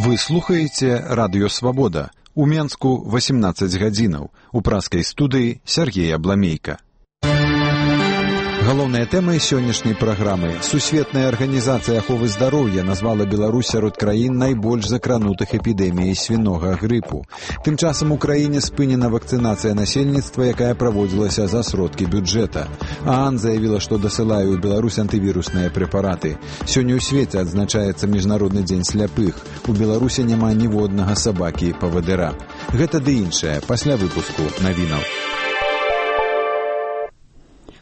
Вы слухаеце радыё «Свабода». У Менску 18 гадзінаў. У праскай студыі Сергей Абламейка. Галоўныя тэмы сённяшняй праграмы. Сусветная арганізацыя аховы здароўя назвала Беларусь сярод краін найбольш закранутых эпідэміяй свінога грыпу. Тым часам у краіне спынена вакцынацыя насельніцтва, якая праводзілася за сродкі бюджэта. ААН заявіла, што дасылае ў Беларусь антывірусныя прэпараты. Сёння ў свеце адзначаецца Міжнародны дзень сляпых. У Беларусі няма ніводнага сабакі-павадыра. Гэта ды іншае пасля выпуску навінаў.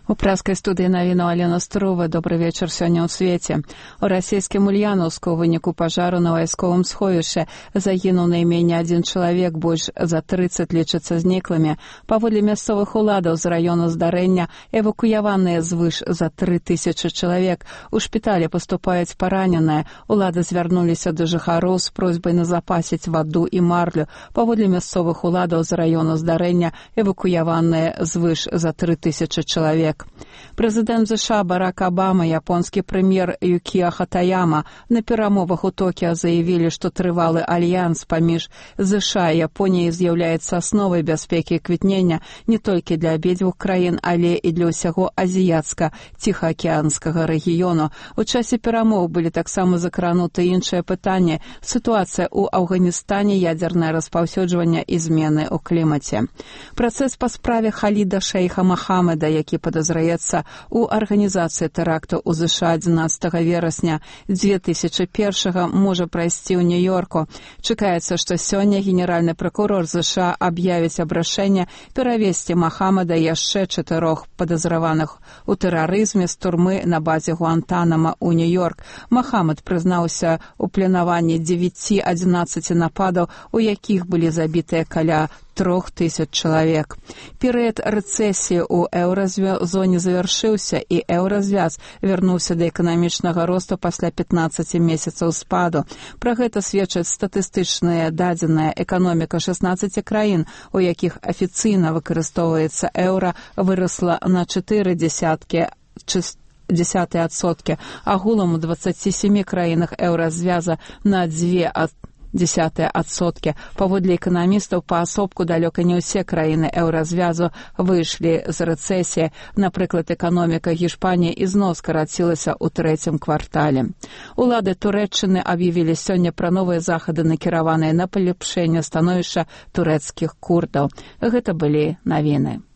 У праскай студыі навінаў Алена Струва. Добры вечар сёння ў свеце. У расійскім Ульяновску ў выніку пажару на вайсковым сховішчы загінуў найменей адзін чалавек, больш за 30 лічацца зніклымі. Паводле мясцовых уладаў з раёну здарэння эвакуяваныя звыш за 3000 чалавек. У шпіталі паступаюць параненыя. Улады звярнуліся да жыхароў з просьбай назапасіць ваду і марлю. Паводле мясцовых уладаў з раёну здарэння эвакуяваныя звыш за 3000 чалавек. Прэзідэнт ЗША Барак Абама, японскі прэм'ер Юкіа Хатаяма на перамовах у Токіа заявілі, што трывалы альянс паміж ЗША і Японіяй з'яўляецца асновай бяспекі квітнення не толькі для абедзвюх краін, але і для ўсяго азіяцка-ціхаакіянскага рэгіёну. У часе перамоў былі таксама закрануты іншыя пытанні: сітуацыя ў Афганістане, ядзернае распаўсюджванне і змены ў клімаце. Працэс па справе Халіда шэйха Махамеда, які падазраецца у арганізацыі тэракту ў ЗША 11 верасня 2001 можа прайсці ў Нью-Йорку. Чакаецца, што сёння генеральны пракурор ЗША аб'явіць абрашэнне перавесці Махамеда і яшчэ 4 падазраваных у тэрарызме з турмы на базе Гуантанама ў Нью-Йорк. Махамед прызнаўся ў планаванні 9-11 нападаў, у якіх былі забітыя каля 3000 чалавек. Перыяд рэцэсіі ў еўразоне завяршыўся, і еўразвяз вярнуўся да эканамічнага росту пасля 15 месяцаў спаду. Пра гэта сведчаць статыстычныя дадзеныя. Эканоміка 16 краін, у якіх афіцыйна выкарыстоўваецца еўра, вырасла на 0,4%. Агулам у 27 краінах еўразвяза на 0,2%. Паводле эканамістаў, паасобку далёка не ўсе краіны еўразвязу выйшлі з рэцэсіі. Напрыклад, эканоміка Гішпаніі ізноў скарацілася ў 3-м квартале. Улады Турэччыны аб'явілі сёння пра новыя захады, накіраваныя на паляпшэнне становішча турэцкіх курдаў. Гэта былі навіны.